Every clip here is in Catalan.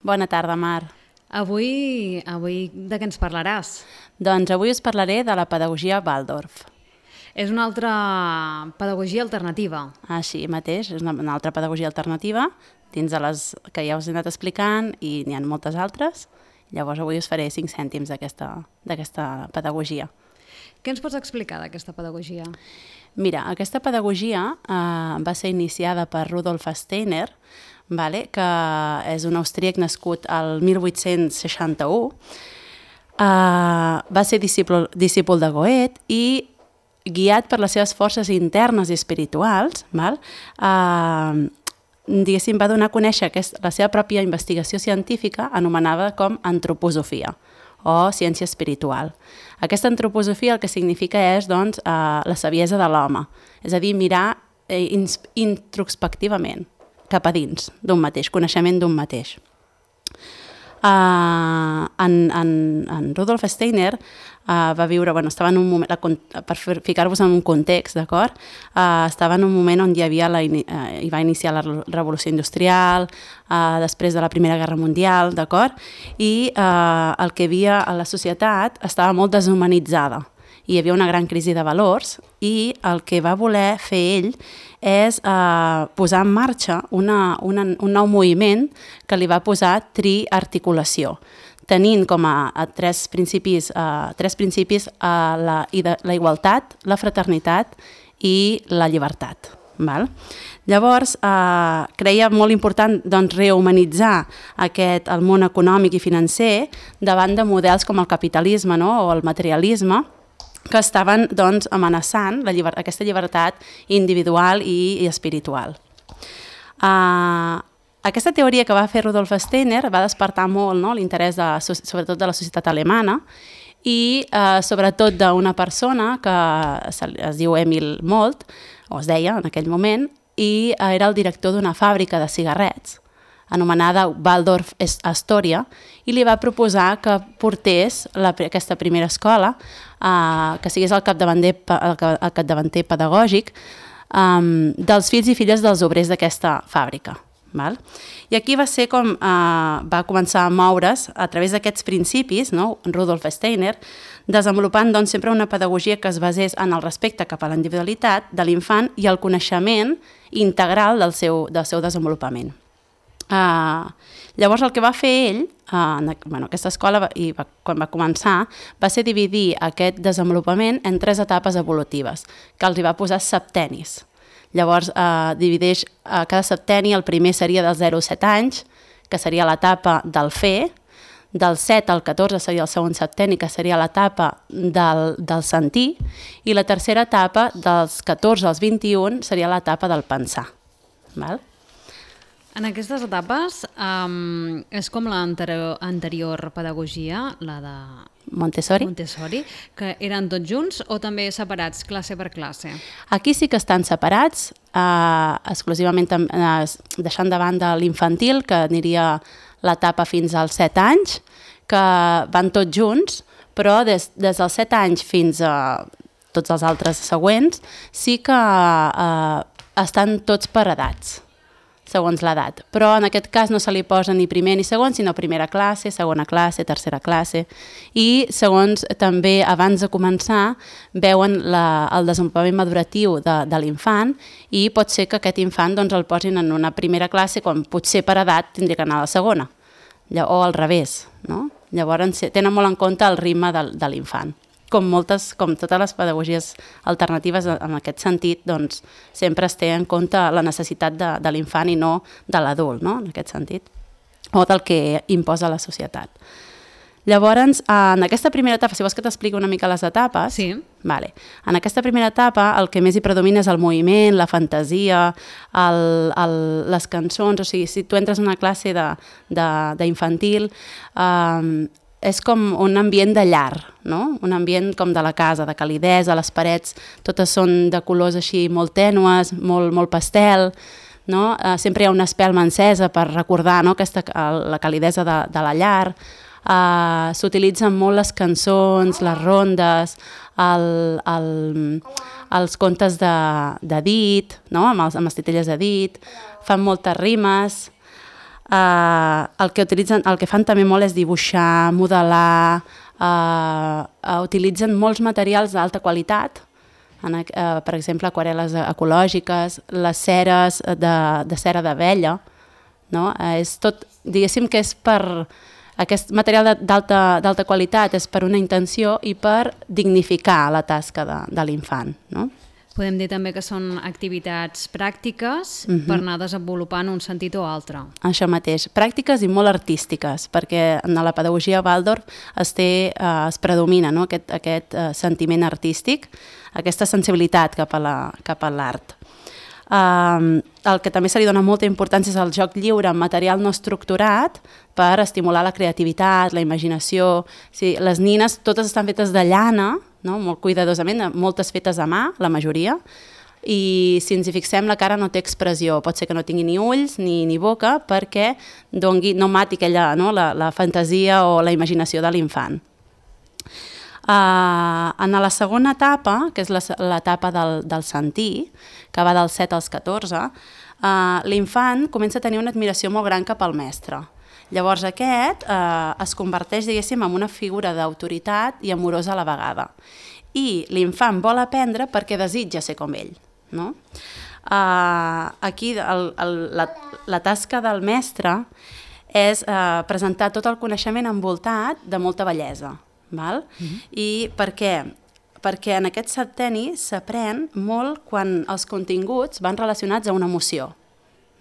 Bona tarda, Mar. Avui de què ens parlaràs? Doncs avui us parlaré de la pedagogia Waldorf. És una altra pedagogia alternativa. Així mateix, és una altra pedagogia alternativa, dins de les que ja us he anat explicant, i n'hi ha moltes altres. Llavors avui us faré 5 cèntims d'aquesta pedagogia. Què ens pots explicar d'aquesta pedagogia? Mira, aquesta pedagogia va ser iniciada per Rudolf Steiner, que és un austríac nascut al 1861. Va ser discípul de Goethe i, guiat per les seves forces internes i espirituals, diguéssim, va donar a conèixer la seva pròpia investigació científica anomenada com antroposofia o ciència espiritual. Aquesta antroposofia el que significa és doncs, la saviesa de l'home, és a dir, mirar introspectivament cap a dins d'un mateix, coneixement d'un mateix. En Rudolf Steiner va viure, estava en un moment, per ficar-vos en un context, d'acord? Estava en un moment on hi va iniciar la Revolució Industrial, després de la Primera Guerra Mundial, d'acord? I el que hi havia a la societat estava molt deshumanitzada. Hi havia una gran crisi de valors i el que va voler fer ell és posar en marxa un nou moviment que li va posar triarticulació, tenint com a tres principis la igualtat, la fraternitat i la llibertat. Llavors, creia molt important rehumanitzar el món econòmic i financer davant de models com el capitalisme o el materialisme, que estaven amenaçant aquesta llibertat individual i espiritual. Aquesta teoria que va fer Rudolf Steiner va despertar molt l'interès sobretot de la societat alemana i sobretot d'una persona que es diu Emil Molt, o es deia en aquell moment, i era el director d'una fàbrica de cigarrets anomenada Waldorf Astoria, i li va proposar que portés aquesta primera escola, que sigués el capdavanter pedagògic dels fills i filles dels obrers d'aquesta fàbrica. I aquí va ser com va començar a moure's a través d'aquests principis, Rudolf Steiner, desenvolupant sempre una pedagogia que es basés en el respecte cap a la individualitat de l'infant i el coneixement integral del seu desenvolupament. Llavors el que va fer ell, aquesta escola, quan va començar, va ser dividir aquest desenvolupament en 3 etapes evolutives, que els hi va posar septenis. Llavors divideix cada septeni, el primer seria dels 0 a 7 anys, que seria l'etapa del fer, del 7 al 14 seria el segon septeni, que seria l'etapa del sentir, i la tercera etapa, dels 14 als 21, seria l'etapa del pensar. En aquestes etapes és com l'anterior pedagogia, la de Montessori, que eren tots junts o també separats, classe per classe? Aquí sí que estan separats, exclusivament deixant de banda l'infantil, que aniria l'etapa fins als 7 anys, que van tots junts, però des dels 7 anys fins a tots els altres següents sí que estan tots per edats, segons l'edat. Però en aquest cas no se li posa ni primer ni segon, sinó primera classe, segona classe, tercera classe. I segons també abans de començar veuen el desenvolupament maduratiu de l'infant i pot ser que aquest infant el posin en una primera classe quan potser per edat tindria que anar a la segona, o al revés. Llavors tenen molt en compte el ritme de l'infant. Com totes les pedagogies alternatives en aquest sentit, sempre es té en compte la necessitat de l'infant i no de l'adult, en aquest sentit, o del que imposa la societat. Llavors, en aquesta primera etapa, si vols que t'expliqui una mica les etapes, sí. En aquesta primera etapa el que més hi predomina és el moviment, la fantasia, les cançons, o sigui, si tu entres en una classe d'infantil, és com un ambient de llar, un ambient com de la casa, de calidesa, les parets totes són de colors així molt tènues, molt pastel, sempre hi ha una espelma encesa per recordar la calidesa de la llar. S'utilitzen molt les cançons, les rondes, els contes de dit, amb les titelles de dit, fan moltes rimes. el que fan també molt és dibuixar, modelar, utilitzen molts materials d'alta qualitat, per exemple, aquarel·les ecològiques, les ceres de cera d'abella, no? És tot, diguéssim que és per... Aquest material d'alta qualitat és per una intenció i per dignificar la tasca de l'infant, no? Podem dir també que són activitats pràctiques per anar desenvolupant un sentit o altre. Això mateix, pràctiques i molt artístiques, perquè en la pedagogia Waldorf es predomina, no? aquest sentiment artístic, aquesta sensibilitat cap a l'art. El que també se li dona molta importància és el joc lliure amb material no estructurat per estimular la creativitat, la imaginació. Sí, les nines totes estan fetes de llana, no? Molt cuidadosament, moltes fetes a mà, la majoria, i si ens hi fixem la cara no té expressió, pot ser que no tingui ni ulls ni boca perquè no mati aquella, no? la fantasia o la imaginació de l'infant. En la segona etapa, que és l'etapa del sentir, que va dels 7 als 14, l'infant comença a tenir una admiració molt gran cap al mestre. Llavors aquest es converteix, diguéssim, en una figura d'autoritat i amorosa a la vegada. I l'infant vol aprendre perquè desitja ser com ell, no? Aquí la tasca del mestre és presentar tot el coneixement envoltat de molta bellesa. Val? I per què? Perquè en aquest septenni s'aprèn molt quan els continguts van relacionats a una emoció.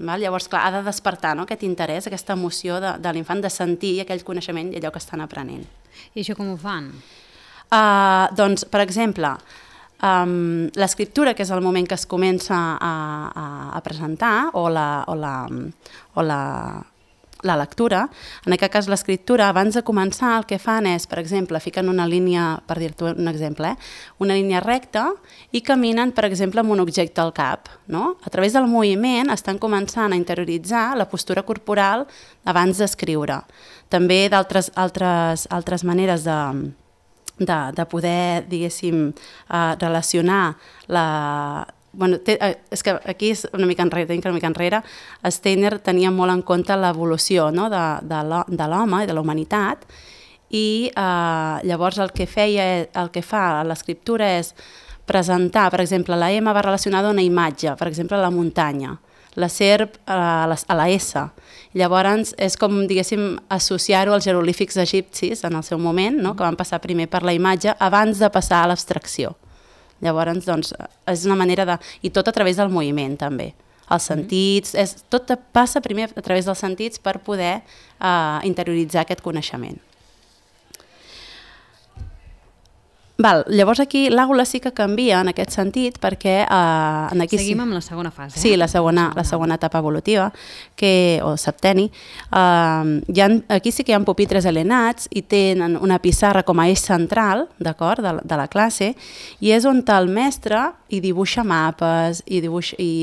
Val? Llavors, clar, ha de despertar, no? Aquest interès, aquesta emoció de l'infant de sentir aquell coneixement i allò que estan aprenent. I això com ho fan? Doncs, per exemple, l'escriptura, que és el moment que es comença a presentar, o la lectura, en aquest cas l'escriptura, abans de començar el que fan és, per exemple, fiquen una línia, per dir-te un exemple, una línia recta i caminen, per exemple, amb un objecte al cap, no? A través del moviment estan començant a interioritzar la postura corporal abans d'escriure. També altres maneres de poder, diguéssim, relacionar és que aquí és una mica enrere, Steiner tenia molt en compte l'evolució, no? de l'home i de la humanitat, i llavors el que fa a l'escriptura és presentar, per exemple, la M va relacionada a una imatge, per exemple, la muntanya, la serp a la S. Llavors és com, diguéssim, associar-ho als jeroglífics egipcis en el seu moment, no? Que van passar primer per la imatge abans de passar a l'abstracció. Llavors, doncs, és una manera de... I tot a través del moviment, també. Els sentits... Tot passa primer a través dels sentits per poder interioritzar aquest coneixement. Llavors aquí l'àula sí que canvia en aquest sentit perquè... Seguim amb la segona fase. Sí, la segona etapa evolutiva, o septenni. Aquí sí que hi ha pupitres alenats i tenen una pissarra com a eix central, d'acord, de la classe, i és on el mestre hi dibuixa mapes, i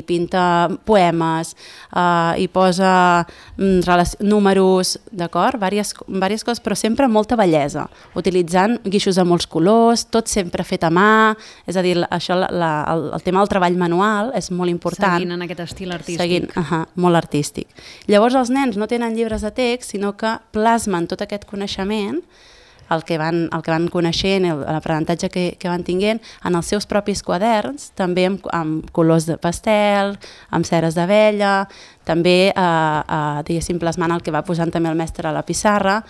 pinta poemes, hi posa números, d'acord, diverses coses, però sempre amb molta bellesa, utilitzant guixos de molts colors, tot sempre fet a mà, és a dir, això, el tema del treball manual és molt important. Seguint en aquest estil artístic. Molt artístic. Llavors els nens no tenen llibres de text, sinó que plasmen tot aquest coneixement, el que van coneixent, l'aprenentatge que van tinguent, en els seus propis quaderns, també amb colors de pastel, amb ceres d'abella, també, diguéssim, plasmant el que va posant també el mestre a la pissarra,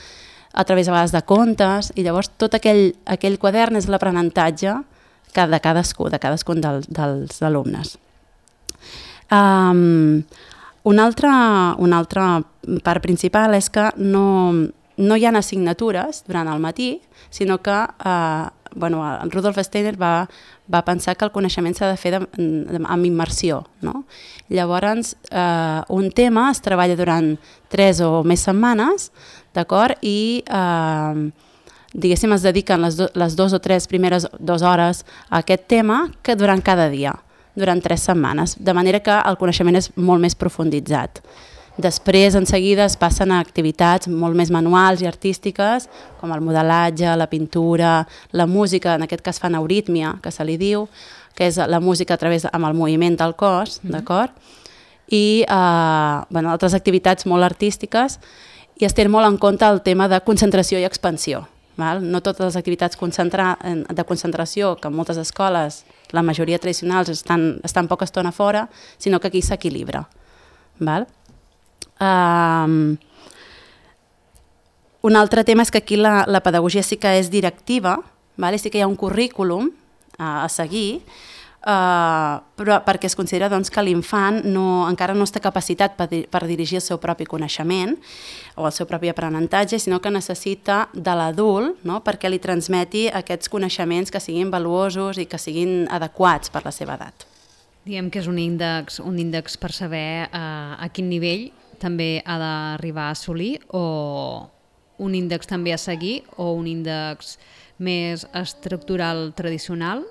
a través a vegades de contes, i llavors tot aquell quadern és l'aprenentatge de cadascun dels alumnes. Una altra part principal és que no hi ha assignatures durant el matí, sinó que Rudolf Steiner va pensar que el coneixement s'ha de fer amb immersió, no? Llavors, un tema es treballa durant 3 o més setmanes, d'acord? I, diguéssim, es dediquen les 2 o 3 primeres 2 hores a aquest tema que durant cada dia, durant 3 setmanes, de manera que el coneixement és molt més profunditzat. Després, en seguida, es passen a activitats molt més manuals i artístiques, com el modelatge, la pintura, la música, en aquest cas fan eurítmia, que se li diu, que és la música amb el moviment del cos, d'acord? i altres activitats molt artístiques, i es té molt en compte el tema de concentració i expansió. No totes les activitats de concentració, que en moltes escoles, la majoria tradicionals, estan poca estona fora, sinó que aquí s'equilibra. Un altre tema és que aquí la pedagogia sí que és directiva, sí que hi ha un currículum a seguir, però perquè es considera que l'infant encara no està capacitat per dirigir el seu propi coneixement o el seu propi aprenentatge, sinó que necessita de l'adult perquè li transmeti aquests coneixements que siguin valuosos i que siguin adequats per la seva edat. Diem que és un índex per saber a quin nivell també ha d'arribar a assolir, o un índex també a seguir, o un índex més estructural tradicional?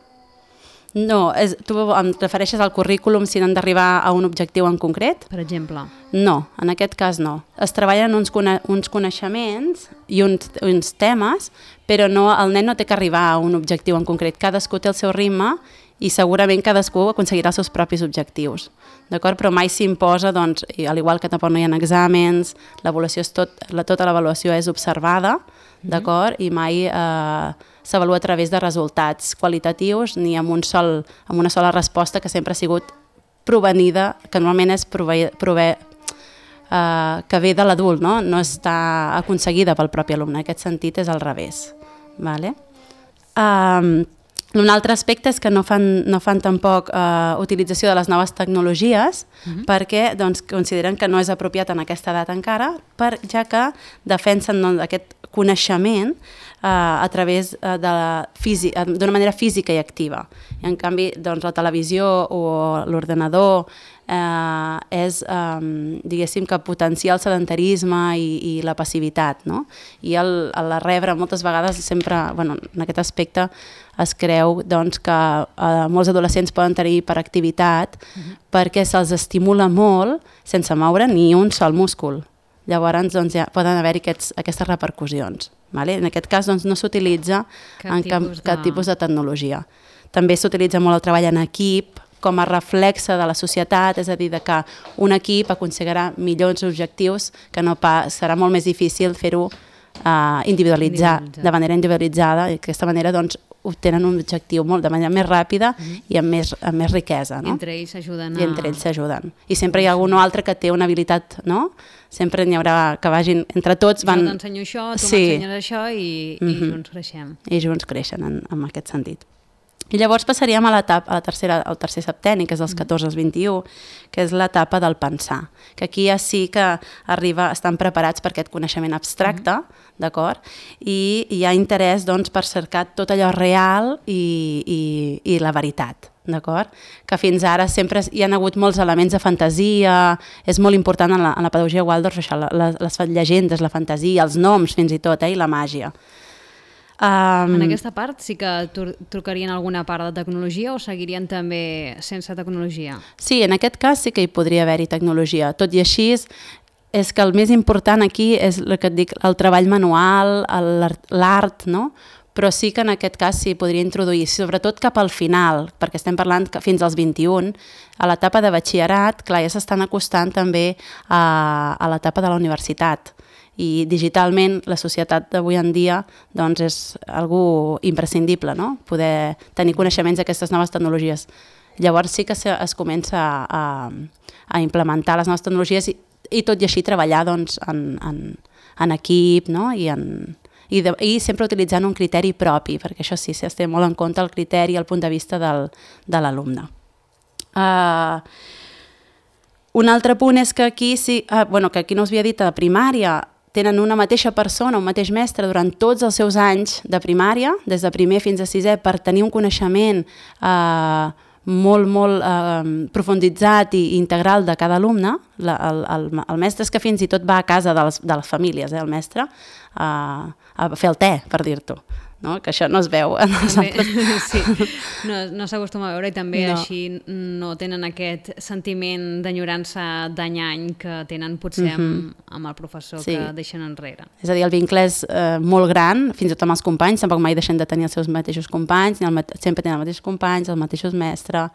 No, tu em refereixes al currículum si n'han d'arribar a un objectiu en concret? Per exemple? No, en aquest cas no. Es treballen uns coneixements i uns temes, però el nen no té que arribar a un objectiu en concret. Cadascú té el seu ritme i segurament cadascú aconseguirà els seus propis objectius. D'acord? Però mai s'imposa, al igual que tampoc no hi ha exàmens, tota l'avaluació és observada, d'acord? I mai s'avalua a través de resultats qualitatius ni amb una sola resposta que sempre ha sigut provenida, que normalment és que ve de l'adult, no està aconseguida pel propi alumne. En aquest sentit és al revés. Un altre aspecte és que no fan tampoc utilització de les noves tecnologies perquè consideren que no és apropiat en aquesta edat encara, ja que defensen aquest coneixement a través d'una manera física i activa. I en canvi, la televisió o l'ordenador és, diguéssim, que potencia el sedentarisme i la passivitat, no? I a la rebre moltes vegades sempre, en aquest aspecte es creu que molts adolescents poden tenir hiperactivitat perquè se'ls estimula molt sense moure ni un sol múscul. Llavors ja poden haver-hi aquestes repercussions. En aquest cas no s'utilitza cap tipus de tecnologia. També s'utilitza molt el treball en equip com a reflexe de la societat, és a dir, que un equip aconseguirà millors objectius, que serà molt més difícil fer-ho de manera individualitzada, i d'aquesta manera obtenen un objectiu de manera més ràpida i amb més riquesa. Entre ells s'ajuden. I entre ells s'ajuden. I sempre hi ha algun altre que té una habilitat, no? Sempre n'hi haurà que vagin, entre tots van... Jo t'ensenyo això, tu m'ensenyes això i junts creixem. I junts creixen en aquest sentit. I llavors passaríem al tercer septenni, que és dels 14 als 21, que és l'etapa del pensar, que aquí ja sí que estan preparats per aquest coneixement abstracte, d'acord? I hi ha interès per cercar tot allò real i la veritat, d'acord? Que fins ara sempre hi ha hagut molts elements de fantasia, és molt important en la pedagogia Waldorf això, les llegendes, la fantasia, els noms fins i tot, i la màgia. En aquesta part sí que trucarien alguna part de tecnologia o seguirien també sense tecnologia? Sí, en aquest cas sí que hi podria haver-hi tecnologia. Tot i així, és que el més important aquí és el que et dic, el treball manual, l'art, no? Però sí que en aquest cas s'hi podria introduir, sobretot cap al final, perquè estem parlant que fins als 21, a l'etapa de batxillerat, clar, ja s'estan acostant també a l'etapa de la universitat. I digitalment la societat d'avui en dia és algo imprescindible, no? Poder tenir coneixements d'aquestes noves tecnologies. Llavors sí que es comença a implementar les noves tecnologies i tot i així treballar en equip, no? I sempre utilitzant un criteri propi, perquè això sí, es té molt en compte el criteri i el punt de vista de l'alumne. Un altre punt és que aquí no us havia dit, a primària tenen una mateixa persona, un mateix mestre, durant tots els seus anys de primària, des de primer fins a sisè, per tenir un coneixement molt profunditzat i integral de cada alumne. El mestre és que fins i tot va a casa de les famílies, el mestre, a fer el te, per dir-t'ho. No? Que això no es veu en els altres. Sí, no s'acostuma a veure i també així no tenen aquest sentiment d'enyorança d'any a any que tenen potser amb el professor que deixen enrere. És a dir, el vincle és molt gran, fins i tot amb els companys, tampoc mai deixen de tenir els seus mateixos companys, sempre tenen els mateixos companys, els mateixos mestres,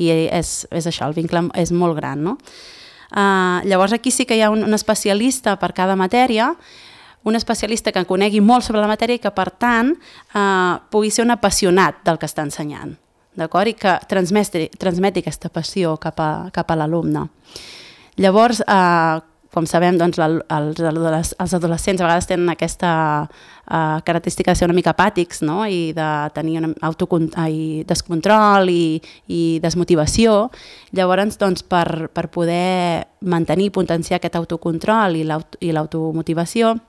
i és això, el vincle és molt gran, no? Llavors aquí sí que hi ha un especialista per cada matèria, un especialista que conegui molt sobre la matèria i que, per tant, pugui ser un apassionat del que està ensenyant, d'acord? I que transmeti aquesta passió cap a l'alumne. Llavors, com sabem, doncs, els adolescents a vegades tenen aquesta característica de ser una mica apàtics, no? I de tenir descontrol i desmotivació. Llavors, doncs, per poder mantenir i potenciar aquest autocontrol i l'automotivació,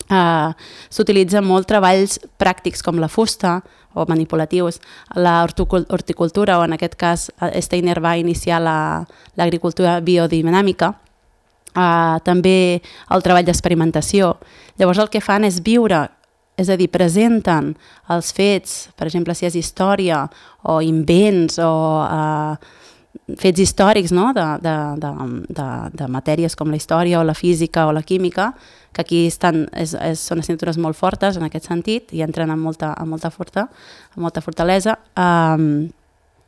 s'utilitzen molt treballs pràctics com la fusta o manipulatius, la horticultura, o en aquest cas Steiner va iniciar l'agricultura biodinàmica, també el treball d'experimentació. Llavors el que fan és viure, és a dir, presenten els fets, per exemple, si és història o invents o fets històrics, no? de matèries com la història o la física o la química, que aquí són assignatures molt fortes en aquest sentit i entren amb molta fortalesa.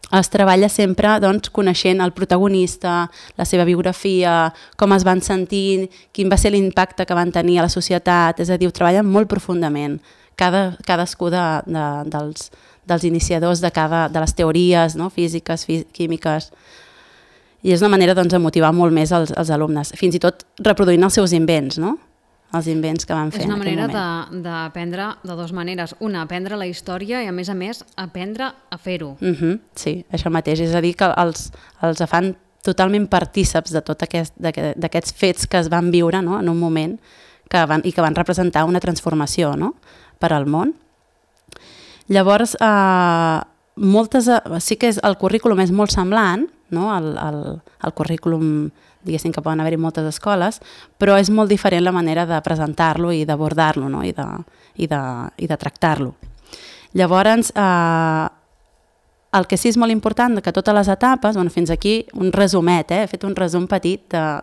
Es treballa sempre, doncs, coneixent el protagonista, la seva biografia, com es van sentint, quin va ser l'impacte que van tenir a la societat, és a dir, ho treballen molt profundament, cadascú dels iniciadors de les teories, no? Físiques, químiques, i és una manera, doncs, de motivar molt més els alumnes, fins i tot reproduint els seus invents, no? Els invents que van fer en aquell moment. És una manera d'aprendre de dues maneres. Una, aprendre la història i, a més, aprendre a fer-ho. Sí, això mateix. És a dir, que els fan totalment partíceps de tot d'aquests fets que es van viure, no? En un moment i que van representar una transformació, no? Per al món. Llavors, sí que el currículum és molt semblant, no? El currículum, diguéssim, que poden haver-hi moltes escoles, però és molt diferent la manera de presentar-lo i d'abordar-lo, no? I de tractar-lo. Llavors, el que sí és molt important que totes les etapes, fins aquí un resumet, he fet un resum petit de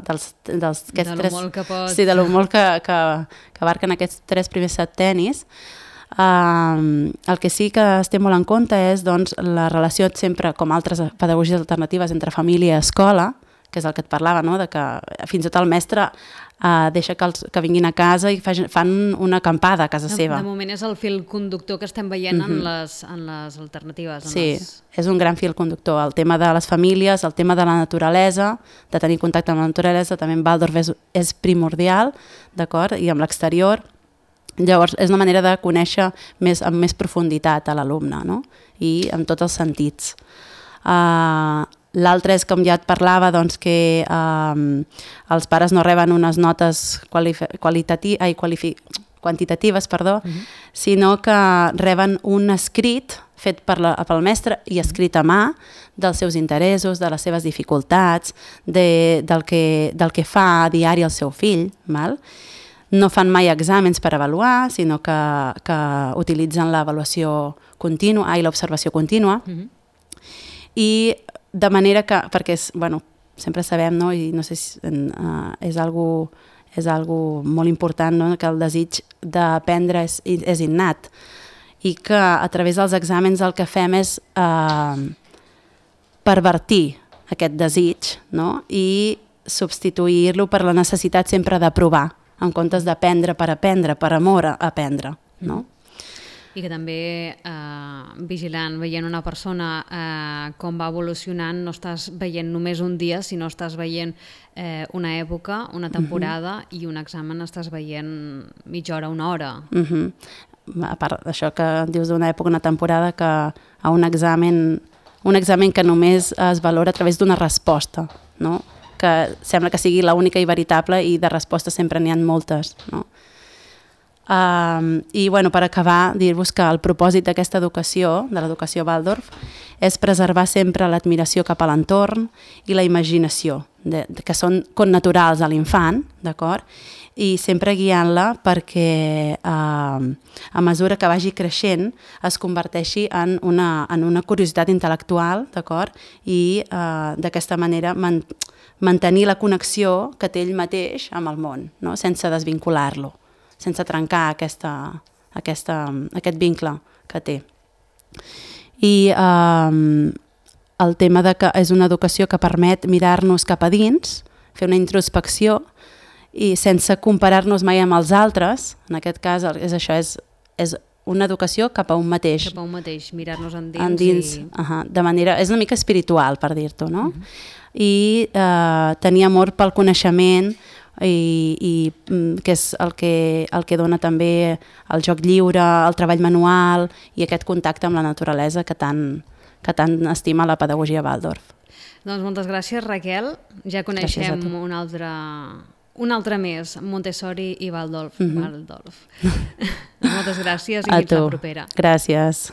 lo molt que abarquen aquests 3 primers septenis. El que sí que es té molt en compte és, doncs, la relació sempre, com altres pedagogies alternatives, entre família i escola, que és el que et parlava, no? De que fins i tot el mestre deixa que vinguin a casa i fan una acampada a casa seva. De moment és el fil conductor que estem veient en les alternatives. Sí, és un gran fil conductor. El tema de les famílies, el tema de la naturalesa, de tenir contacte amb la naturalesa, també en Waldorf és primordial, d'acord? I amb l'exterior. Llavors, és una manera de conèixer amb més profunditat a l'alumne, no? I amb tots els sentits. L'altre és, com ja et parlava, doncs, que els pares no reben unes notes quantitatives, sinó que reben un escrit fet pel mestre i escrit a mà dels seus interessos, de les seves dificultats, del que fa a diari el seu fill. No fan mai exàmens per avaluar, sinó que utilitzen l'avaluació contínua i l'observació contínua. I de manera que, perquè sempre sabem, no? I no sé si és algo molt important, no? Que el desig d'aprendre és innat i que a través dels exàmens el que fem és pervertir aquest desig, no? I substituir-lo per la necessitat sempre d'aprovar, en comptes d'aprendre per aprendre, per amor a aprendre, no? I que també vigilant, veient una persona com va evolucionant, no estàs veient només un dia, sinó estàs veient una època, una temporada, i un examen estàs veient mitja hora, una hora. A part d'això que dius d'una època, una temporada, que a un examen que només es valora a través d'una resposta, no? Que sembla que sigui l'única i veritable, i de respostes sempre n'hi ha moltes, no? I per acabar, dir-vos que el propòsit d'aquesta educació, de l'educació Waldorf, és preservar sempre l'admiració cap a l'entorn i la imaginació, que són connaturals a l'infant, d'acord? I sempre guiant-la perquè a mesura que vagi creixent es converteixi en una curiositat intel·lectual, d'acord? I d'aquesta manera mantenir la connexió que té ell mateix amb el món, no? Sense desvincular-lo, sense trencar aquest vincle que té. I el tema de que és una educació que permet mirar-nos cap a dins, fer una introspecció i sense comparar-nos mai amb els altres, en aquest cas és això, és una educació cap a un mateix. Cap a un mateix, mirar-nos endins. De manera, és una mica espiritual, per dir-t'ho, no? I tenir amor pel coneixement i que és el que dona també el joc lliure, el treball manual i aquest contacte amb la naturalesa que tant estima la pedagogia Waldorf. Doncs moltes gràcies, Raquel. Ja coneixem un altre més, Montessori i Waldorf. Moltes gràcies i fins la propera. Gràcies.